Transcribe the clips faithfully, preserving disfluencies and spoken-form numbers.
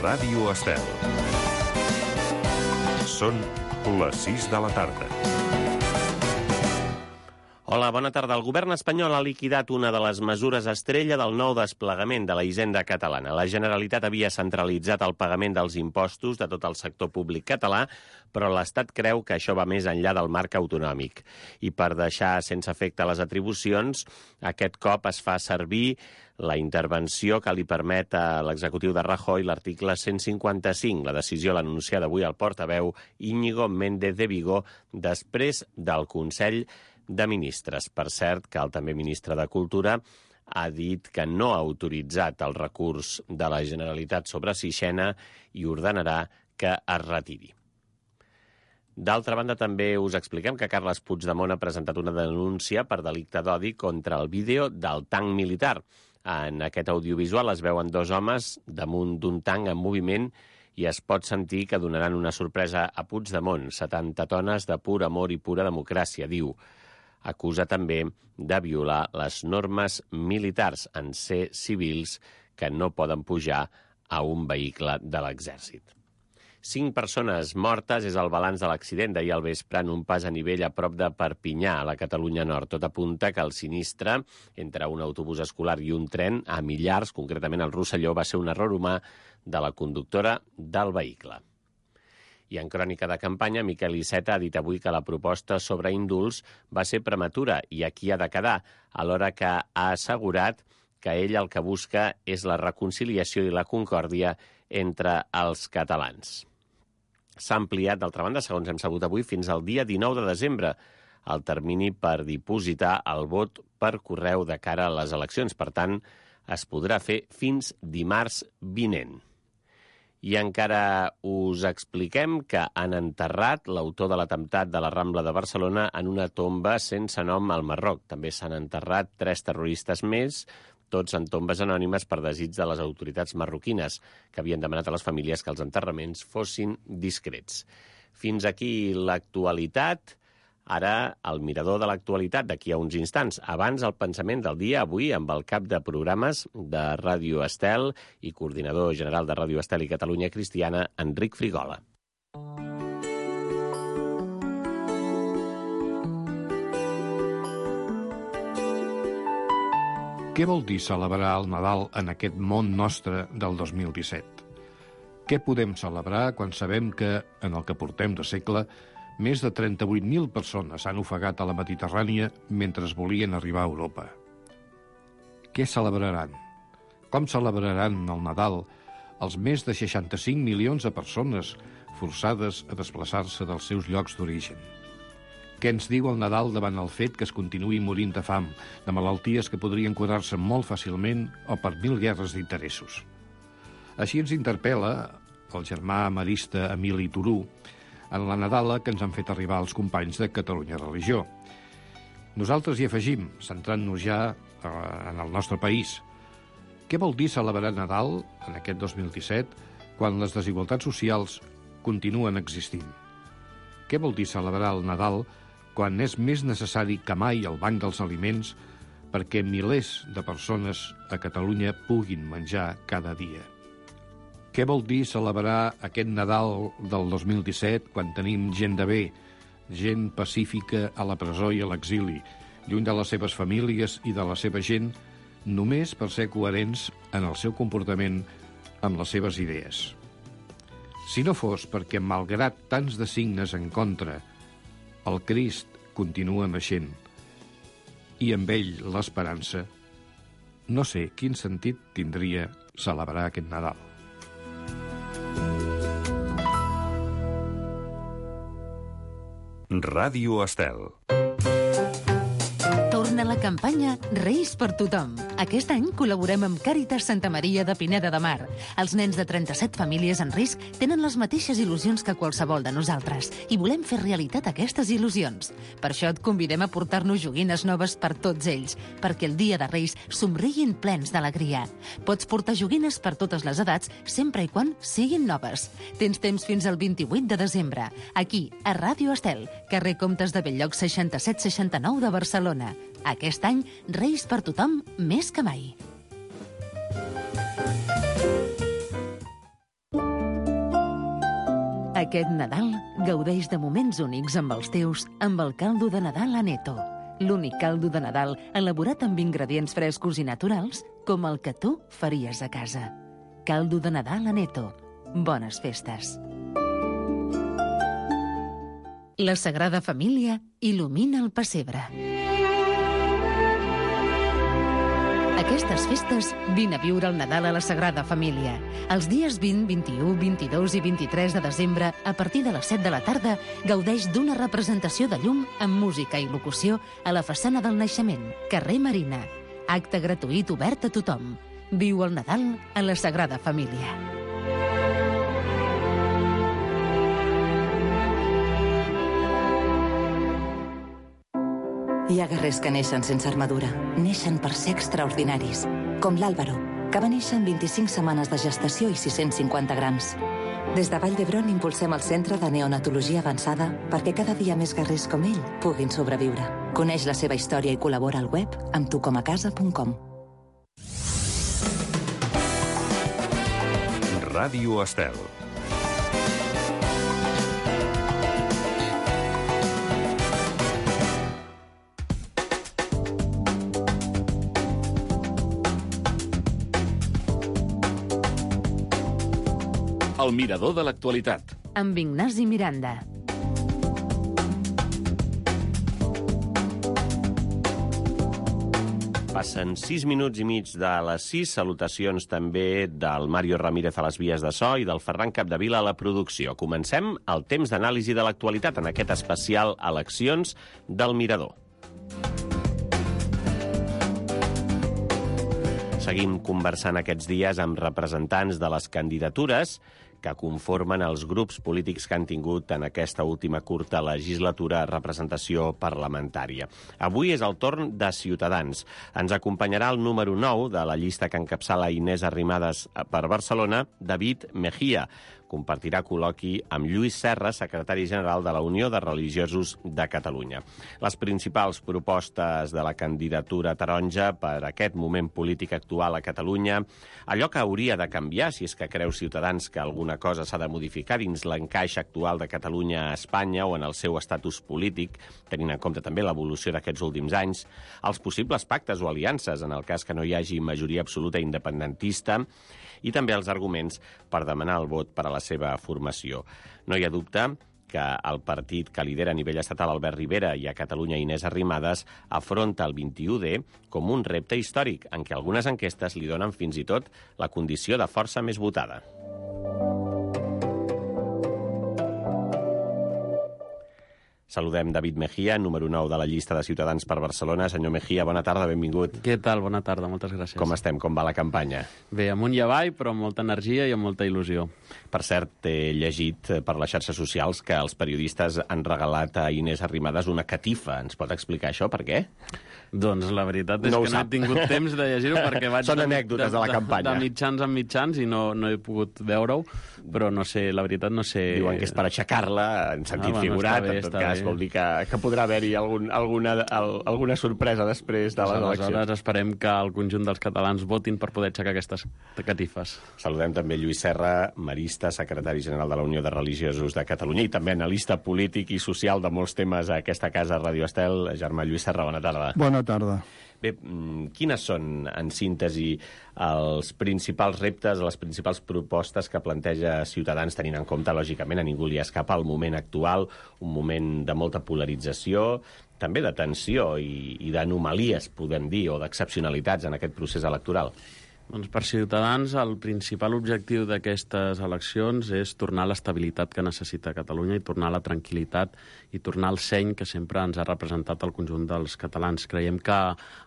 Ràdio Estel. Són les sis de la tarda. Hola, bona tarda. El govern espanyol ha liquidat una de les mesures estrella del nou desplegament de la hisenda catalana. La Generalitat havia centralitzat el pagament dels impostos de tot el sector públic català, però l'Estat creu que això va més enllà del marc autonòmic. I per deixar sense efecte les atribucions, aquest cop es fa servir la intervenció que li permet a l'executiu de Rajoy l'article cent cinquanta-cinc. La decisió l'ha anunciada avui el portaveu Íñigo Méndez de Vigo després del Consell de Ministres. Per cert, que el també ministre de Cultura ha dit que no ha autoritzat el recurs de la Generalitat sobre Sixena i ordenarà que es retiri. D'altra banda, també us expliquem que Carles Puigdemont ha presentat una denúncia per delicte d'odi contra el vídeo del tanc militar. En aquest audiovisual es veuen dos homes damunt d'un tanc en moviment i es pot sentir que donaran una sorpresa a Puigdemont. setanta tones de pur amor i pura democràcia, diu. Acusa també de violar les normes militars en ser civils que no poden pujar a un vehicle de l'exèrcit. Cinc persones mortes és el balanç de l'accident d'ahir al vespre en un pas a nivell a prop de Perpinyà, a la Catalunya Nord. Tot apunta que el sinistre entre un autobús escolar i un tren a Millars, concretament al Rosselló, va ser un error humà de la conductora del vehicle. I en crònica de campanya, Miquel Iceta ha dit avui que la proposta sobre indults va ser prematura i aquí ha de quedar, alhora que ha assegurat que ell el que busca és la reconciliació i la concòrdia entre els catalans. S'ha ampliat, d'altra banda, segons hem sabut avui, fins al dia dinou de desembre, el termini per dipositar el vot per correu de cara a les eleccions. Per tant, es podrà fer fins dimarts vinent. I encara us expliquem que han enterrat l'autor de l'atemptat de la Rambla de Barcelona en una tomba sense nom al Marroc. També s'han enterrat tres terroristes més, tots en tombes anònimes per desig de les autoritats marroquines, que havien demanat a les famílies que els enterraments fossin discrets. Fins aquí l'actualitat. Ara, el mirador de l'actualitat d'aquí a uns instants. Abans, el pensament del dia, avui, amb el cap de programes de Ràdio Estel i coordinador general de Ràdio Estel i Catalunya Cristiana, Enric Frigola. Què vol dir celebrar el Nadal en aquest món nostre del dos mil disset? Què podem celebrar quan sabem que, en el que portem de segle, més de trenta-vuit mil persones s'han ofegat a la Mediterrània mentre volien arribar a Europa? Què celebraran? Com celebraran el Nadal els més de seixanta-cinc milions de persones forçades a desplaçar-se dels seus llocs d'origen? Què ens diu el Nadal davant el fet que es continuï morint de fam, de malalties que podrien curar-se molt fàcilment o per mil guerres d'interessos? Així ens interpel·la el germà marista Emili Turú en la Nadala que ens han fet arribar els companys de Catalunya Religió. Nosaltres hi afegim, centrant-nos ja en el nostre país. Què vol dir celebrar Nadal en aquest dos mil disset quan les desigualtats socials continuen existint? Què vol dir celebrar el Nadal quan és més necessari que mai el banc dels aliments perquè milers de persones a Catalunya puguin menjar cada dia? Què vol dir celebrar aquest Nadal del dos mil disset quan tenim gent de bé, gent pacífica a la presó i a l'exili, lluny de les seves famílies i de la seva gent, només per ser coherents en el seu comportament amb les seves idees? Si no fos perquè, malgrat tants de signes en contra, el Crist continua naixent i amb ell l'esperança, no sé quin sentit tindria celebrar aquest Nadal. Ràdio Estel. Torna la campanya Reis per tothom. Aquest any col·laborem amb Càritas Santa Maria de Pineda de Mar. Els nens de trenta-set famílies en risc tenen les mateixes il·lusions que qualsevol de nosaltres i volem fer realitat aquestes il·lusions. Per això et convidem a portar-nos joguines noves per tots ells, perquè el dia de Reis somriguin plens d'alegria. Pots portar joguines per totes les edats, sempre i quan siguin noves. Tens temps fins al vint-i-vuit de desembre, aquí, a Ràdio Estel, carrer Comtes de Belllloc seixanta-set seixanta-nou de Barcelona. Aquest any, Reis per tothom més que mai. Aquest Nadal gaudeix de moments únics amb els teus amb el caldo de Nadal Aneto. L'únic caldo de Nadal elaborat amb ingredients frescos i naturals com el que tu faries a casa. Caldo de Nadal Aneto. Bones festes. La Sagrada Família il·lumina el pessebre. Aquestes festes vine a viure el Nadal a la Sagrada Família. Els dies vint, vint-i-u, vint-i-dos i vint-i-tres de desembre, a partir de les set de la tarda, gaudeix d'una representació de llum amb música i locució a la façana del Naixement, carrer Marina. Acte gratuït obert a tothom. Viu el Nadal a la Sagrada Família. Hi ha guerrers que neixen sense armadura. Neixen per ser extraordinaris. Com l'Àlvaro, que va néixer amb vint-i-cinc setmanes de gestació i sis-cents cinquanta grams. Des de Vall d'Hebron impulsem el Centre de Neonatologia Avançada perquè cada dia més guerrers com ell puguin sobreviure. Coneix la seva història i col·labora al web amb tu com a casa punt com. Ràdio Estel. El mirador de l'actualitat. Amb Ignasi Miranda. Passen sis minuts i mig de les sis. Salutacions també del Mario Ramírez a les vies de so i del Ferran Capdevila a la producció. Comencem el temps d'anàlisi de l'actualitat en aquest especial Eleccions del Mirador. Seguim conversant aquests dies amb representants de les candidatures que conformen els grups polítics que han tingut en aquesta última curta legislatura representació parlamentària. Avui és el torn de Ciutadans. Ens acompanyarà el número nou de la llista que encapçala Inés Arrimadas per Barcelona, David Mejía. Compartirà col·loqui amb Lluís Serra, secretari general de la Unió de Religiosos de Catalunya. Les principals propostes de la candidatura taronja per aquest moment polític actual a Catalunya, allò que hauria de canviar, si és que creu Ciutadans que alguna cosa s'ha de modificar dins l'encaix actual de Catalunya a Espanya o en el seu estatus polític, tenint en compte també l'evolució d'aquests últims anys, els possibles pactes o aliances en el cas que no hi hagi majoria absoluta independentista, i també els arguments per demanar el vot per a la seva formació. No hi ha dubte que el partit que lidera a nivell estatal Albert Rivera i a Catalunya Inés Arrimadas afronta el vint-i-u de com un repte històric en què algunes enquestes li donen fins i tot la condició de força més votada. Saludem David Mejía, número nou de la llista de Ciutadans per Barcelona. Senyor Mejía, bona tarda, benvingut. Què tal? Bona tarda, moltes gràcies. Com estem? Com va la campanya? Bé, amunt i avall, però amb molta energia i amb molta il·lusió. Per cert, he llegit per les xarxes socials que els periodistes han regalat a Inés Arrimadas una catifa. Ens pot explicar això? Per què? Doncs la veritat és no que no he tingut temps de llegir-ho perquè vaig... Són anècdotes de, de la campanya. De mitjans en mitjans i no, no he pogut veure-ho, però no sé, la veritat no sé... Diuen que és per aixecar-la, en sentit ah, bueno, figurat, bé, en tot cas, bé. Vol dir que, que podrà haver-hi algun, alguna, al, alguna sorpresa després de les eleccions. Aleshores esperem que el conjunt dels catalans votin per poder aixecar aquestes catifes. Saludem també Lluís Serra, marista, secretari general de la Unió de Religiosos de Catalunya i també analista polític i social de molts temes a aquesta casa, Radio Estel. Germà Lluís Serra, bona tarda. Bona tarda. Bé, quines són, en síntesi, els principals reptes, les principals propostes que planteja Ciutadans, tenint en compte, lògicament, a ningú li escapa el moment actual, un moment de molta polarització, també de tensió i, i d'anomalies, podem dir, o d'excepcionalitats en aquest procés electoral? Doncs per Ciutadans el principal objectiu d'aquestes eleccions és tornar l'estabilitat que necessita Catalunya i tornar la tranquil·litat i tornar el seny que sempre ens ha representat el conjunt dels catalans. Creiem que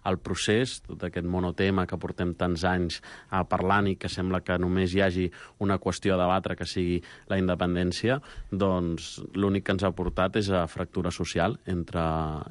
el procés, tot aquest monotema que portem tants anys a parlant i que sembla que només hi hagi una qüestió a debatre que sigui la independència, doncs l'únic que ens ha portat és a fractura social entre,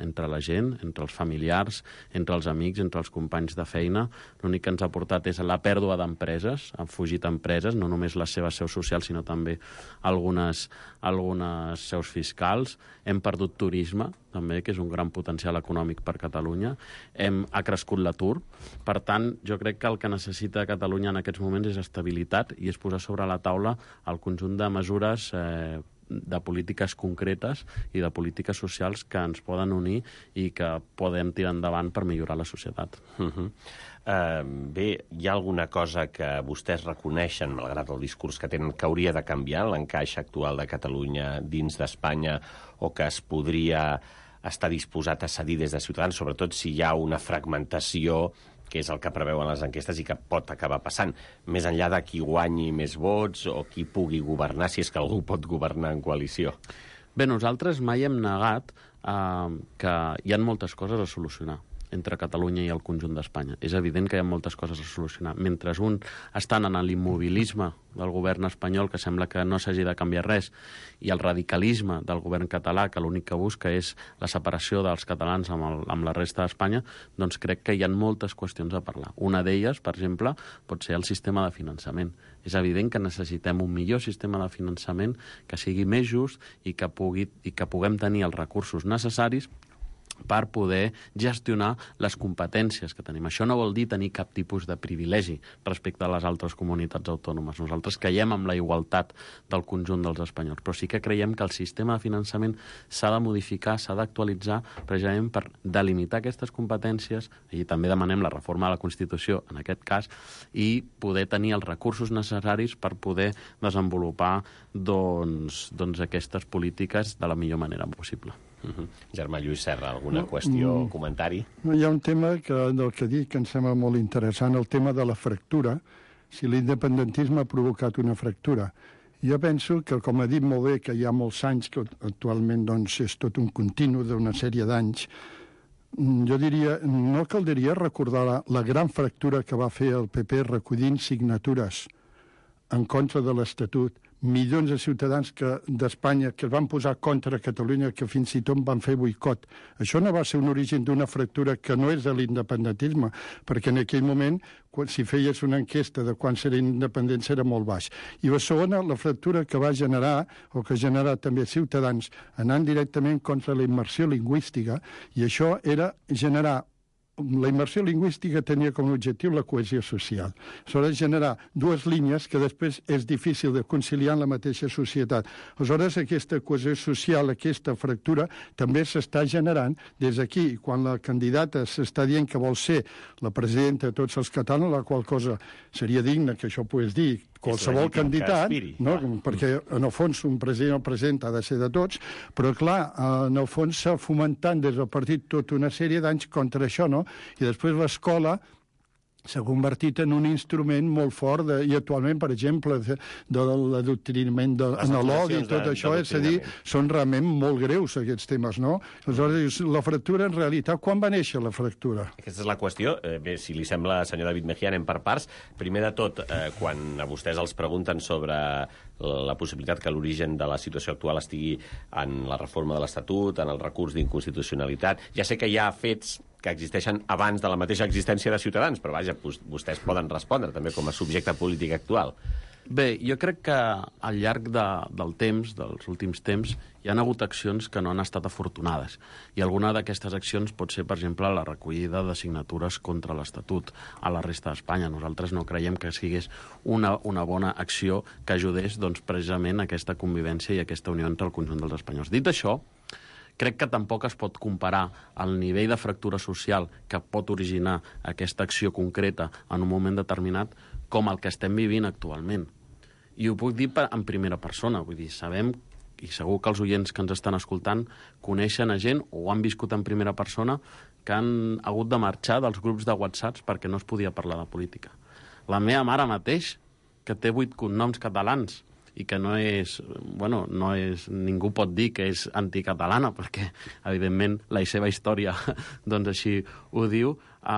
entre la gent, entre els familiars, entre els amics, entre els companys de feina. L'únic que ens ha portat és la pèrdua d'empreses, han fugit empreses, no només les seves seus socials, sinó també algunes, algunes seus fiscals. Hem perdut turisme, també, que és un gran potencial econòmic per Catalunya. Hem, ha crescut l'atur. Per tant, jo crec que el que necessita Catalunya en aquests moments és estabilitat i és posar sobre la taula el conjunt de mesures eh, de polítiques concretes i de polítiques socials que ens poden unir i que podem tirar endavant per millorar la societat. Uh-huh. Uh, bé, hi ha alguna cosa que vostès reconeixen, malgrat el discurs que tenen, que hauria de canviar l'encaix actual de Catalunya dins d'Espanya o que es podria estar disposat a cedir des de Ciutadans, sobretot si hi ha una fragmentació, que és el que preveuen les enquestes i que pot acabar passant, més enllà de qui guanyi més vots o qui pugui governar, si és que algú pot governar en coalició? Bé, nosaltres mai hem negat eh, que hi ha moltes coses a solucionar entre Catalunya i el conjunt d'Espanya. És evident que hi ha moltes coses a solucionar. Mentre un estan en l'immobilisme del govern espanyol, que sembla que no s'hagi de canviar res, i el radicalisme del govern català, que l'únic que busca és la separació dels catalans amb, el, amb la resta d'Espanya, doncs crec que hi ha moltes qüestions a parlar. Una d'elles, per exemple, pot ser el sistema de finançament. És evident que necessitem un millor sistema de finançament que sigui més just i que, pugui, i que puguem tenir els recursos necessaris per poder gestionar les competències que tenim. Això no vol dir tenir cap tipus de privilegi respecte a les altres comunitats autònomes. Nosaltres creiem en la igualtat del conjunt dels espanyols, però sí que creiem que el sistema de finançament s'ha de modificar, s'ha d'actualitzar, precisament per delimitar aquestes competències, i també demanem la reforma de la Constitució, en aquest cas, i poder tenir els recursos necessaris per poder desenvolupar doncs, doncs aquestes polítiques de la millor manera possible. Uh-huh. Germà Lluís Serra, alguna no, qüestió o comentari? No, hi ha un tema que, del que dic que em sembla molt interessant, el tema de la fractura, si l'independentisme ha provocat una fractura. Jo penso que, com ha dit molt bé, que hi ha molts anys, que actualment doncs, és tot un continu d'una sèrie d'anys, jo diria, no caldria recordar la, la gran fractura que va fer el P P recollint signatures en contra de l'Estatut, milions de ciutadans que, d'Espanya que es van posar contra Catalunya, que fins i tot van fer boicot. Això no va ser un origen d'una fractura que no és de l'independentisme, perquè en aquell moment, quan, si feies una enquesta de quan serà independents, era molt baix. I la segona, la fractura que va generar, o que ha generat també Ciutadans, anant directament contra la immersió lingüística, i això era generar la immersió lingüística tenia com a objectiu la cohesió social. Aleshores, generar dues línies que després és difícil de conciliar en la mateixa societat. Aleshores, aquesta cohesió social, aquesta fractura, també s'està generant des d'aquí. Quan la candidata s'està dient que vol ser la presidenta de tots els catalans, la qual cosa seria digne que això pogués dir qualsevol candidat, no? Perquè en el fons un president o president ha de ser de tots, però clar, en el fons s'ha fomentant des del partit tota una sèrie d'anys contra això, no? I després l'escola s'ha convertit en un instrument molt fort de, i actualment, per exemple, de, de l'adoctrinament en l'odi i tot això, és a dir, són realment molt greus aquests temes, no? Aleshores, la fractura, en realitat, quan va néixer la fractura? Aquesta és la qüestió. Eh, bé, si li sembla, senyor David Mejía, anem per parts. Primer de tot, eh, quan a vostès els pregunten sobre la possibilitat que l'origen de la situació actual estigui en la reforma de l'Estatut, en el recurs d'inconstitucionalitat, ja sé que hi ha fets que existeixen abans de la mateixa existència de Ciutadans, però vaja, vostès poden respondre també com a subjecte polític actual. Bé, jo crec que al llarg de, del temps, dels últims temps, hi ha hagut accions que no han estat afortunades. I alguna d'aquestes accions pot ser, per exemple, la recollida de signatures contra l'Estatut a la resta d'Espanya. Nosaltres no creiem que sigués una, una bona acció que ajudés doncs, precisament a aquesta convivència i aquesta unió entre el conjunt dels espanyols. Dit això, crec que tampoc es pot comparar el nivell de fractura social que pot originar aquesta acció concreta en un moment determinat com el que estem vivint actualment. I ho puc dir en primera persona, vull dir, sabem, i segur que els oients que ens estan escoltant coneixen a gent o han viscut en primera persona que han hagut de marxar dels grups de WhatsApp perquè no es podia parlar de política. La meva mare mateix, que té vuit cognoms catalans, i que no és, bueno, no és, ningú pot dir que és anticatalana, perquè, evidentment, la seva història, doncs així ho diu, eh,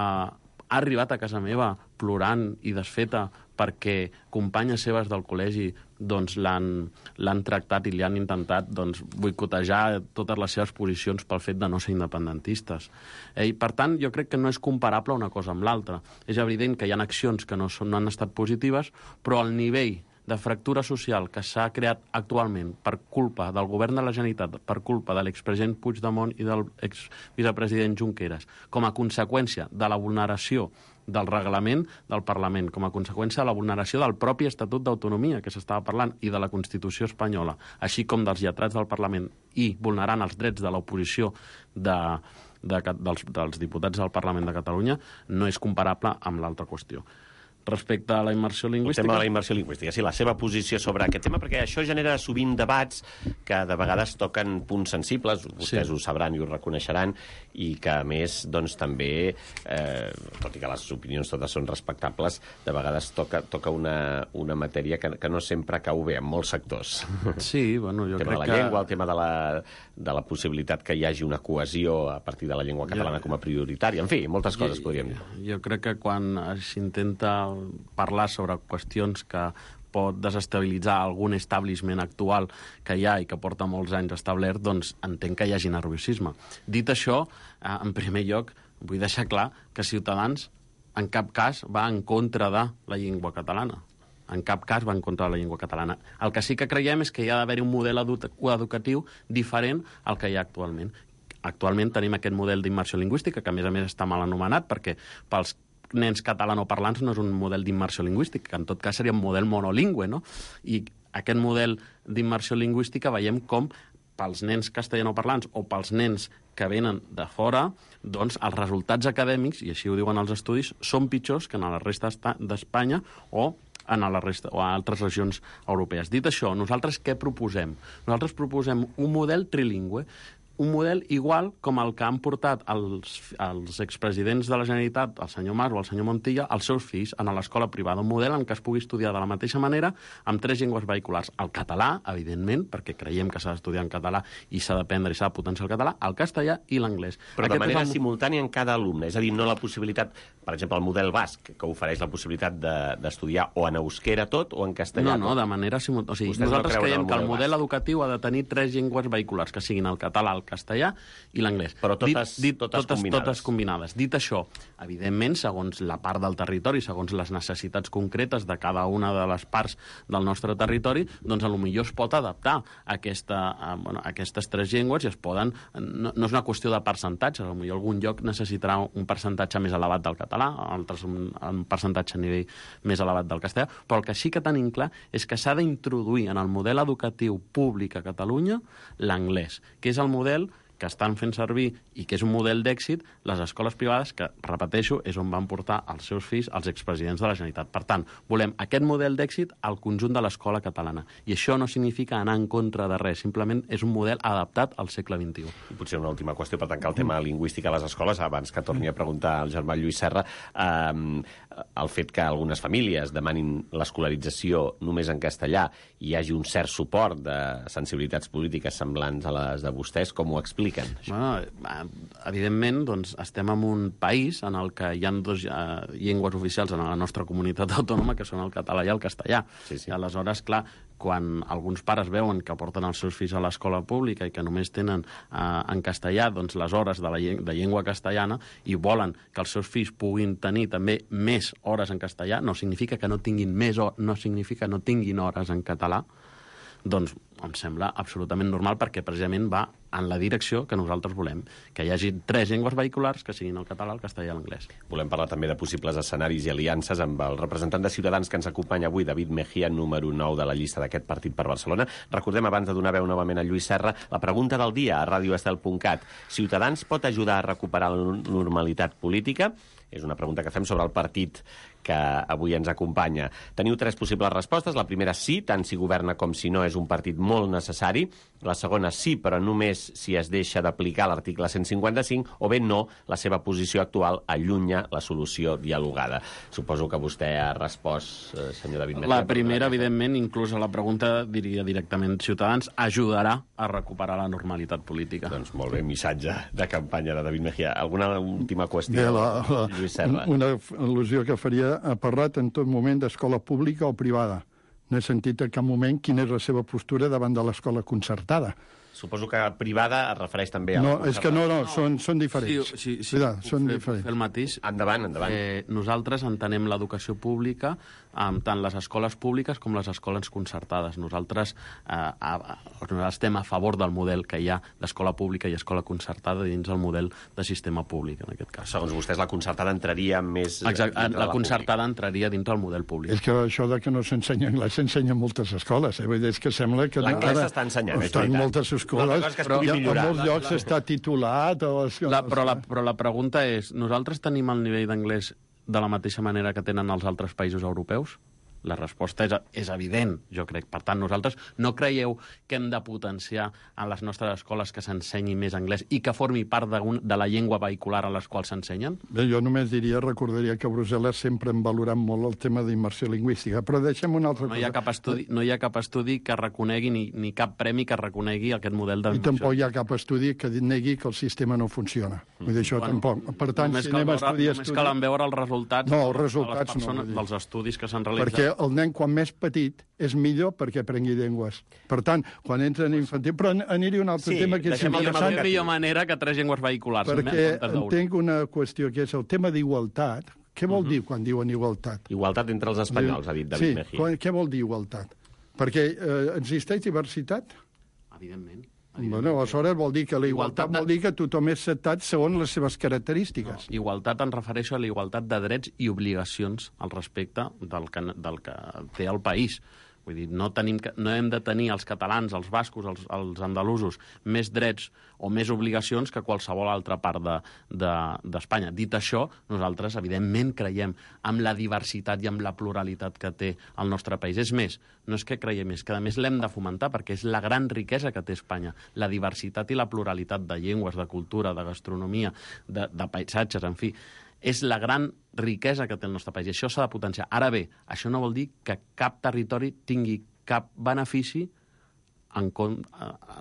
ha arribat a casa meva plorant i desfeta perquè companyes seves del col·legi doncs, l'han, l'han tractat i li han intentat doncs, boicotejar totes les seves posicions pel fet de no ser independentistes. Eh, I, per tant, jo crec que no és comparable una cosa amb l'altra. És evident que hi ha accions que no, són, no han estat positives, però el nivell de fractura social que s'ha creat actualment per culpa del govern de la Generalitat, per culpa de l'expresident Puigdemont i del exvicepresident Junqueras, com a conseqüència de la vulneració del reglament del Parlament, com a conseqüència de la vulneració del propi Estatut d'Autonomia que s'estava parlant i de la Constitució espanyola, així com dels lletrats del Parlament, i vulnerant els drets de l'oposició de, de, dels, dels diputats del Parlament de Catalunya, no és comparable amb l'altra qüestió. Respecte a la immersió lingüística... El tema de la immersió lingüística, sí, la seva posició sobre aquest tema, perquè això genera sovint debats que de vegades toquen punts sensibles, vostès sí. ho sabran i ho reconeixeran, i que, a més, doncs, també, eh, tot i que les opinions totes són respectables, de vegades toca, toca una, una matèria que, que no sempre cau bé en molts sectors. Sí, bueno, jo crec que... El tema de la que... llengua, el tema de la, de la possibilitat que hi hagi una cohesió a partir de la llengua catalana jo... com a prioritària, en fi, moltes coses jo, podríem dir. Jo crec que quan s'intenta parlar sobre qüestions que pot desestabilitzar algun establishment actual que hi ha i que porta molts anys establert, doncs entenc que hi hagi nerviosisme. Dit això, en primer lloc, vull deixar clar que Ciutadans en cap cas va en contra de la llengua catalana. En cap cas va en contra de la llengua catalana. El que sí que creiem és que hi ha d'haver un model edu educatiu diferent al que hi ha actualment. Actualment tenim aquest model d'immersió lingüística, que a més a més està mal anomenat, perquè pels nens catalanoparlants no és un model d'immersió lingüística, que en tot cas seria un model monolingüe, no? I aquest model d'immersió lingüística veiem com pels nens castellanoparlants o pels nens que venen de fora, doncs els resultats acadèmics, i així ho diuen els estudis, són pitjors que en la resta d'Espanya o en la resta, o a altres regions europees. Dit això, nosaltres què proposem? Nosaltres proposem un model trilingüe, un model igual com el que han portat els, els expresidents de la Generalitat, el senyor Mas o el senyor Montilla, als seus fills en l'escola privada. Un model en què es pugui estudiar de la mateixa manera amb tres llengües vehiculars. El català, evidentment, perquè creiem que s'ha d'estudiar en català i s'ha d'aprendre i s'ha de potenciar el català, el castellà i l'anglès. Però Aquest de manera el... simultània en cada alumne, és a dir, no la possibilitat, per exemple, el model basc, que ofereix la possibilitat d'estudiar de, o en euskera tot o en castellà tot. No, no, de manera simultània. O sigui, nosaltres no creiem el que el model basc. educatiu ha de tenir tres llengües vehiculars, que siguin el català, el castellà i l'anglès. Però totes, dit, dit, totes, totes, combinades. totes combinades. Dit això, evidentment, segons la part del territori, segons les necessitats concretes de cada una de les parts del nostre territori, doncs potser es pot adaptar a, aquesta, a, bueno, a aquestes tres llengües i es poden... No, no és una qüestió de percentatges, potser algun lloc necessitarà un percentatge més elevat del català, altres un, un percentatge a nivell més elevat del castellà, però el que sí que tenim clar és que s'ha d'introduir en el model educatiu públic a Catalunya l'anglès, que és el model que estan fent servir i que és un model d'èxit les escoles privades que, repeteixo, és on van portar els seus fills els expresidents de la Generalitat. Per tant, volem aquest model d'èxit al conjunt de l'escola catalana. I això no significa anar en contra de res, simplement és un model adaptat al segle vint-i-u. I potser una última qüestió per tancar el tema lingüístic a les escoles, abans que torni a preguntar al germà Lluís Serra, eh, el fet que algunes famílies demanin l'escolarització només en castellà i hi hagi un cert suport de sensibilitats polítiques semblants a les de vostès, com ho explica? Bueno, evidentment, doncs, estem en un país en el que hi ha dues uh, llengües oficials en la nostra comunitat autònoma, que són el català i el castellà. Sí, sí. I aleshores, clar, quan alguns pares veuen que porten els seus fills a l'escola pública i que només tenen uh, en castellà doncs, les hores de la llengua, de llengua castellana i volen que els seus fills puguin tenir també més hores en castellà, no significa que no tinguin més hores, no significa que no tinguin hores en català, doncs em sembla absolutament normal perquè precisament va en la direcció que nosaltres volem, que hi hagi tres llengües vehiculars que siguin el català, el castellà i l'anglès. Volem parlar també de possibles escenaris i aliances amb el representant de Ciutadans que ens acompanya avui, David Mejía, número nou de la llista d'aquest partit per Barcelona. Recordem, abans de donar veu novament a Lluís Serra, la pregunta del dia a radio estel punt cat. Ciutadans pot ajudar a recuperar la normalitat política? És una pregunta que fem sobre el partit que avui ens acompanya. Teniu tres possibles respostes. La primera, sí, tant si governa com si no, és un partit molt necessari. La segona, sí, però només si es deixa d'aplicar l'article cent cinquanta-cinc, o bé no, la seva posició actual allunya la solució dialogada. Suposo que vostè ha respost, eh, senyor David Mejía. La primera, evidentment, inclús a la pregunta diria directament Ciutadans ajudarà a recuperar la normalitat política. Doncs molt bé, missatge de campanya de David Mejía. Alguna última qüestió, bé, la, la, Lluís Serra? Una al·lusió que faria, ha parlat en tot moment d'escola pública o privada. No he sentit en cap moment quina és la seva postura davant de l'escola concertada. Suposo que privada es refereix també a... No, és que no, no, són, són diferents. Sí, sí, sí, Cuidado, són fer, diferents. Fer el mateix. Endavant, endavant. Eh, nosaltres entenem l'educació pública amb tant les escoles públiques com les escoles concertades. Nosaltres, eh, a, a, nosaltres estem a favor del model que hi ha d'escola pública i escola concertada dins el model de sistema públic, en aquest cas. Segons vostès, la concertada entraria més... Exacte, la, la concertada pública. Entraria dintre el model públic. És que això de que no s'ensenya anglès s'ensenya en moltes escoles. Eh? Vull dir, és que sembla que... L'anglès s'està ensenyant, és està en veritat. moltes escoles, que però en millorar. molts llocs està titulat... O es... La, però, la, però la pregunta és, nosaltres tenim el nivell d'anglès de la mateixa manera que tenen els altres països europeus? La resposta és, és evident, jo crec. Per tant, nosaltres no creieu que hem de potenciar en les nostres escoles que s'ensenyi més anglès i que formi part de, un, de la llengua vehicular a les quals s'ensenyen? Bé, jo només diria, recordaria que a Brussel·les sempre hem valorat molt el tema d'immersió lingüística, però deixem una altra no hi ha cosa. Cap estudi, no hi ha cap estudi que reconegui, ni, ni cap premi que reconegui aquest model I d'immersió. tampoc hi ha cap estudi que negui que el sistema no funciona. Vull dir, això Bueno, tampoc. Per tant, només si cal anem a veure, estudiar... només cal veure els resultats, No, els de les resultats no, persones, vull dir. dels estudis que s'han realitzat. Perquè el nen, quan més petit, és millor perquè aprengui llengües. Per tant, quan entra en infantil... Però aniria un altre Sí, tema que és deixem el tema interessant, No hi ha millor manera que tres llengües vehiculars. perquè en comptes d'una. entenc una qüestió que és el tema d'igualtat. Què vol dir quan diuen igualtat? Igualtat entre els espanyols, ha dit David sí, Mejía. quan- què vol dir igualtat? Perquè eh, existeix diversitat? Evidentment. Bueno, aleshores vol dir que la igualtat, Igualtat de- vol dir que tothom és acceptat segons les seves característiques. Igualtat em refereixo a la igualtat de drets i obligacions al respecte del que, del que té el país. Vull dir, no, tenim, que- no hem de tenir els catalans, els bascos, els, els andalusos, més drets o més obligacions que qualsevol altra part d'Espanya. De, de, Dit això, nosaltres, evidentment, creiem en la diversitat i en la pluralitat que té el nostre país. És més, no és que creiem, és que a més l'hem de fomentar, perquè és la gran riquesa que té Espanya. La diversitat i la pluralitat de llengües, de cultura, de gastronomia, de, de paisatges, en fi, és la gran riquesa que té el nostre país, i això s'ha de potenciar. Ara bé, això no vol dir que cap territori tingui cap benefici en com,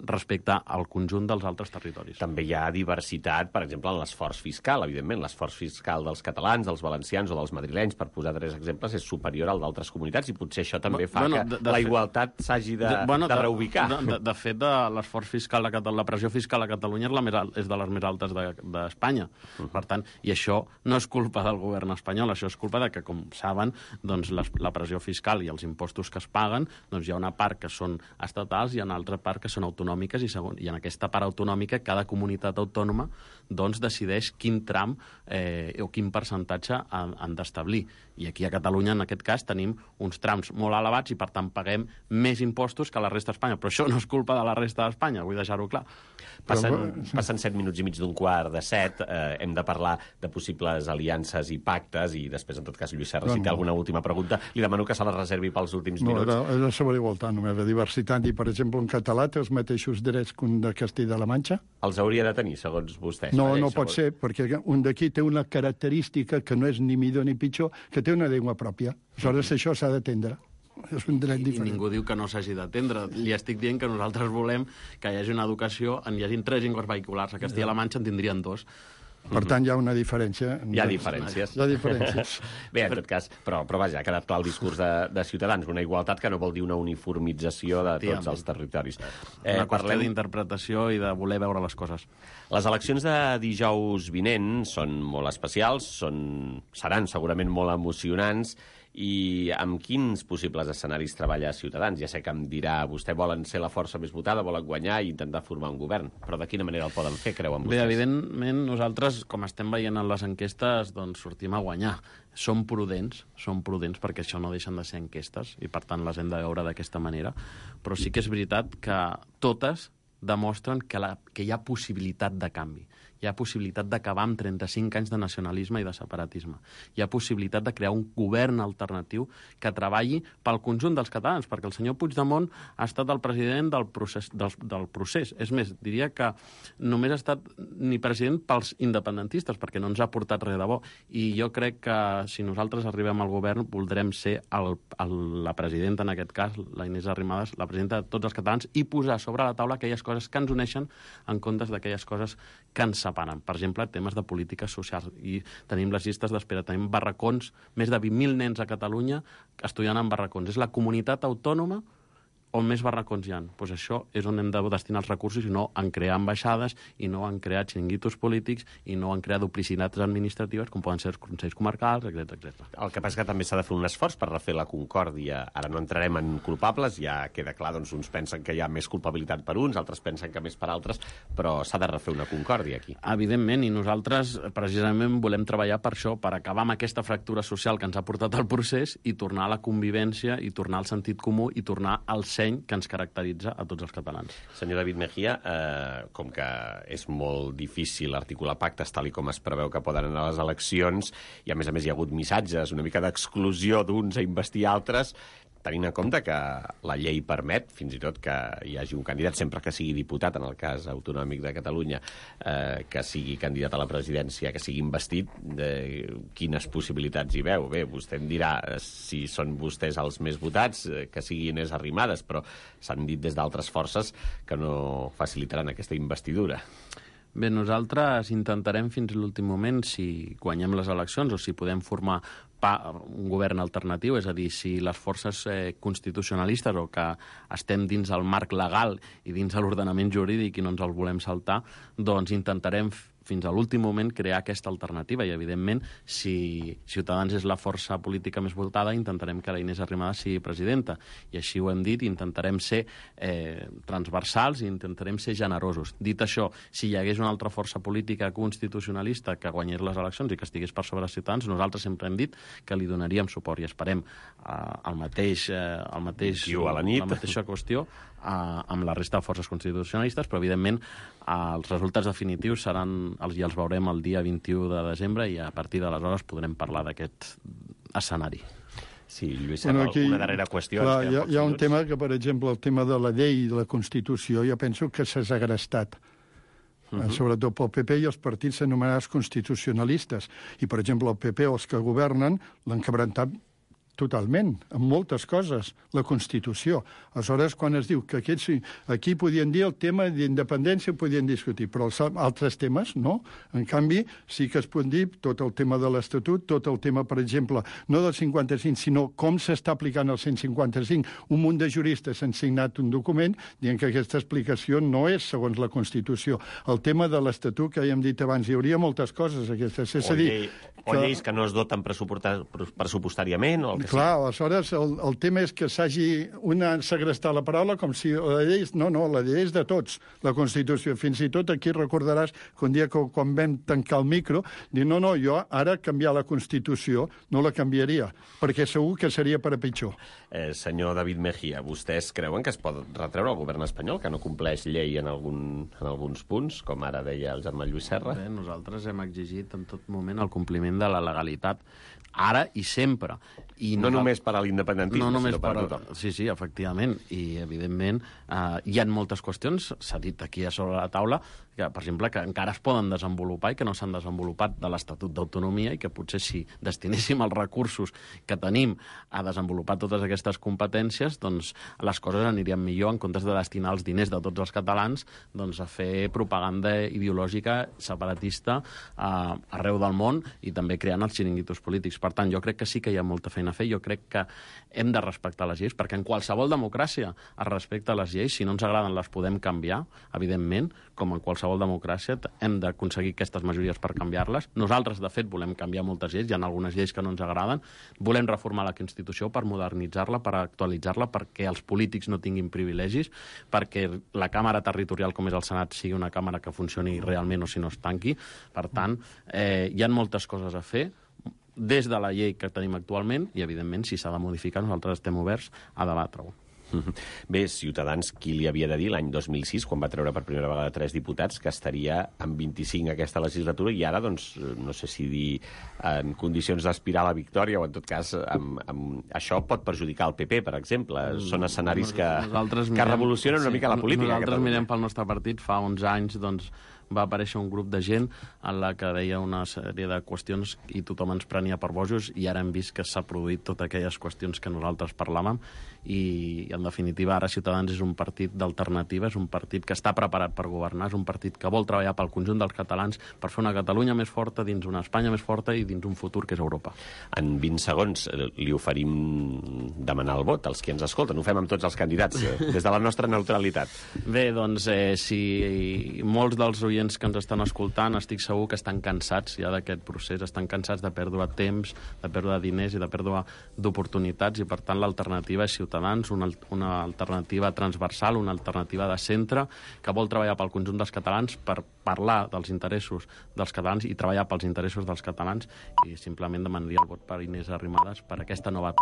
respecte al conjunt dels altres territoris. També hi ha diversitat, per exemple, en l'esforç fiscal, evidentment. L'esforç fiscal dels catalans, dels valencians o dels madrilenys, per posar tres exemples, és superior al d'altres comunitats, i potser això també fa Bueno, que de- de la fet- igualtat s'hagi de, De- bueno, de reubicar. De, de, de fet, de l'esforç fiscal a Catalunya, la pressió fiscal a Catalunya és, la més, al- és de les més altes d'Espanya. De, uh -huh. Per tant, i això no és culpa del govern espanyol, això és culpa de que, com saben, doncs, les, la pressió fiscal i els impostos que es paguen, doncs hi ha una part que són estatals i una altra part que són autonòmiques, i, segon, i en aquesta part autonòmica cada comunitat autònoma doncs, decideix quin tram eh, o quin percentatge han, han d'establir. I aquí a Catalunya, en aquest cas, tenim uns trams molt elevats i, per tant, paguem més impostos que la resta d'Espanya. Però això no és culpa de la resta d'Espanya, vull deixar-ho clar. Passen, passen set minuts i mig d'un quart de set. Eh, hem de parlar de possibles aliances i pactes, i després, en tot cas, Lluís Serra, si té alguna última pregunta, li demano que se la reservi pels últims No, minuts. era, era sobre igualtat, només la diversitat. I, per exemple, un català té els mateixos drets que un de Castella-La Manxa? Els hauria de tenir, segons vostès. No, Mateix, no pot segons... ser, perquè un d'aquí té una característica que no és ni millor ni pitjor, que té una llengua pròpia. Aleshores, això s'ha d'atendre. És un dret I diferent. ningú diu que no s'hagi d'atendre. Li estic dient que nosaltres volem que hi hagi una educació, en hi hagin tres llengües vehiculars. A Castilla-La Manxa en tindrien dos. Per tant, hi ha una diferència. Hi ha diferències. Hi ha diferències. Bé, en tot cas, però, però vaja, ha quedat clar el discurs de, de Ciutadans, una igualtat que no vol dir una uniformització de tots Tia, els territoris. Eh, una qüestió parlem... d'interpretació i de voler veure les coses. Les eleccions de dijous vinent són molt especials, són, seran segurament molt emocionants, i amb quins possibles escenaris treballa Ciutadans? Ja sé que em dirà, vostè volen ser la força més votada, volen guanyar i intentar formar un govern, però de quina manera el poden fer, creuen vostès? Bé, evidentment, nosaltres, com estem veient en les enquestes, doncs sortim a guanyar. Som prudents, som prudents perquè això no deixen de ser enquestes i, per tant, les hem de veure d'aquesta manera. Però sí que és veritat que totes demostren que, la, que hi ha possibilitat de canvi. Hi ha possibilitat d'acabar amb trenta-cinc anys de nacionalisme i de separatisme. Hi ha possibilitat de crear un govern alternatiu que treballi pel conjunt dels catalans, perquè el senyor Puigdemont ha estat el president del procés. Del, del procés. És més, diria que només ha estat ni president pels independentistes, perquè no ens ha portat res de bo. I jo crec que si nosaltres arribem al govern voldrem ser el, el, la presidenta, en aquest cas, la Inés Arrimadas, la presidenta de tots els catalans, i posar sobre la taula aquelles coses que ens uneixen en comptes d'aquelles coses que ens separen. Per exemple, temes de polítiques socials. I tenim les llistes d'espera, tenim barracons, més de vint mil nens a Catalunya estudiant en barracons. És la comunitat autònoma on més barracons hi ha. Pues això és on hem de destinar els recursos i no en crear ambaixades i no en crear xiringuitos polítics i no en crear duplicitats administratives com poden ser els consells comarcals, etcètera etcètera. El que passa que també s'ha de fer un esforç per refer la concòrdia. Ara no entrarem en culpables, ja queda clar, doncs uns pensen que hi ha més culpabilitat per uns, altres pensen que més per altres, però s'ha de refer una concòrdia aquí. Evidentment, i nosaltres precisament volem treballar per això, per acabar amb aquesta fractura social que ens ha portat al procés i tornar a la convivència i tornar al sentit comú i tornar al seny que ens caracteritza a tots els catalans. Senyor David Mejía, eh, com que és molt difícil articular pactes tal i com es preveu que poden anar a les eleccions, i a més a més hi ha hagut missatges, una mica d'exclusió d'uns a investir altres, tenint en compte que la llei permet, fins i tot que hi hagi un candidat, sempre que sigui diputat, en el cas autonòmic de Catalunya, eh, que sigui candidat a la presidència, que sigui investit, eh, quines possibilitats hi veu? Bé, vostè em dirà si són vostès els més votats, eh, que siguin Inés Arrimadas, però s'han dit des d'altres forces que no facilitaran aquesta investidura. Bé, nosaltres intentarem fins a l'últim moment, si guanyem les eleccions o si podem formar un govern alternatiu, és a dir, si les forces eh, constitucionalistes o que estem dins el marc legal i dins de l'ordenament jurídic i no ens el volem saltar, doncs intentarem fins a l'últim moment crear aquesta alternativa i, evidentment, si Ciutadans és la força política més votada, intentarem que la Inés Arrimadas sigui presidenta. I així ho hem dit, intentarem ser eh, transversals i intentarem ser generosos. Dit això, si hi hagués una altra força política constitucionalista que guanyés les eleccions i que estigués per sobre els ciutadans, nosaltres sempre hem dit que li donaríem suport i esperem eh, el mateix, eh, el mateix, a la nit. la mateixa qüestió eh, amb la resta de forces constitucionalistes, però, evidentment, eh, els resultats definitius seran els, ja els veurem el dia vint-i-u de desembre i a partir d'aleshores podrem parlar d'aquest escenari. Sí, Lluís, bueno, aquí, una darrera qüestió. Clar, hi ha, hi ha un tema que, per exemple, el tema de la llei i de la Constitució, jo penso que s'ha segrestat. Uh -huh. Sobretot pel P P i els partits anomenats constitucionalistes. I, per exemple, el P P, els que governen, l'han quebrantat totalment, en moltes coses, la Constitució. Aleshores, quan es diu que aquests, aquí podien dir el tema d'independència, podien discutir, però els altres temes no. En canvi, sí que es pot dir tot el tema de l'Estatut, tot el tema, per exemple, no del cinquanta-cinc, sinó com s'està aplicant el cent cinquanta-cinc. Un munt de juristes han signat un document dient que aquesta explicació no és segons la Constitució. El tema de l'Estatut, que ja hem dit abans, hi hauria moltes coses aquestes. És o, a dir, llei, o que... lleis que no es doten pressupostàriament, o el que Clar, aleshores el, el tema és que s'hagi una segrestar la paraula com si la llei... No, no, la llei és de tots, la Constitució. Fins i tot aquí recordaràs que un dia que quan vam tancar el micro, dir, no, no, jo ara canviar la Constitució no la canviaria, perquè segur que seria per a pitjor. Eh, senyor David Mejía, vostès creuen que es pot retreure al govern espanyol que no compleix llei en, algun, en alguns punts, com ara deia el germà Lluís Serra? Bé, nosaltres hem exigit en tot moment el compliment de la legalitat, ara i sempre. I no només per a l'independentisme, no només sinó per a per... tothom. Sí, sí, efectivament. I, evidentment, eh, hi ha moltes qüestions, s'ha dit aquí a sobre la taula, que, per exemple, que encara es poden desenvolupar i que no s'han desenvolupat de l'Estatut d'Autonomia i que potser si destinéssim els recursos que tenim a desenvolupar totes aquestes competències, doncs les coses anirien millor en comptes de destinar els diners de tots els catalans doncs, a fer propaganda ideològica separatista eh, arreu del món i també creant els xiringuitos polítics. Per tant, jo crec que sí que hi ha molta feina a fer. Jo crec que hem de respectar les lleis, perquè en qualsevol democràcia es respecta les lleis. Si no ens agraden, les podem canviar, evidentment, com en qualsevol democràcia hem d'aconseguir aquestes majories per canviar-les. Nosaltres, de fet, volem canviar moltes lleis. Hi ha algunes lleis que no ens agraden. Volem reformar la Constitució per modernitzar-la, per actualitzar-la, perquè els polítics no tinguin privilegis, perquè la Càmera Territorial, com és el Senat, sigui una càmera que funcioni realment o si no es tanqui. Per tant, eh, hi ha moltes coses a fer des de la llei que tenim actualment i, evidentment, si s'ha de modificar, nosaltres estem oberts a debatre-ho. Bé, Ciutadans, qui li havia de dir l'any dos mil sis, quan va treure per primera vegada tres diputats, que estaria amb vint-i-cinc aquesta legislatura i ara, doncs, no sé si dir en condicions d'aspirar a la victòria o, en tot cas, amb, amb... això pot perjudicar el P P, per exemple. Són escenaris que, que revolucionen una mica la política. Nosaltres mirem pel nostre partit. Fa onze anys, doncs, va aparèixer un grup de gent en la que deia una sèrie de qüestions i tothom ens prenia per bojos, i ara hem vist que s'ha produït totes aquelles qüestions que nosaltres parlàvem, i en definitiva ara Ciutadans és un partit d'alternativa, és un partit que està preparat per governar, és un partit que vol treballar pel conjunt dels catalans per fer una Catalunya més forta dins una Espanya més forta i dins un futur que és Europa. En vint segons li oferim demanar el vot als qui ens escolten. Ho fem amb tots els candidats, eh, des de la nostra neutralitat. Bé, doncs, eh, si molts dels oients que ens estan escoltant estic segur que estan cansats ja d'aquest procés, estan cansats de perdre temps, de perdre diners i de perdre d'oportunitats, i per tant l'alternativa és Ciutadans, una, una alternativa transversal, una alternativa de centre, que vol treballar pel conjunt dels catalans per parlar dels interessos dels catalans i treballar pels interessos dels catalans, i simplement demanaria el vot per Inés Arrimadas per aquesta nova etapa.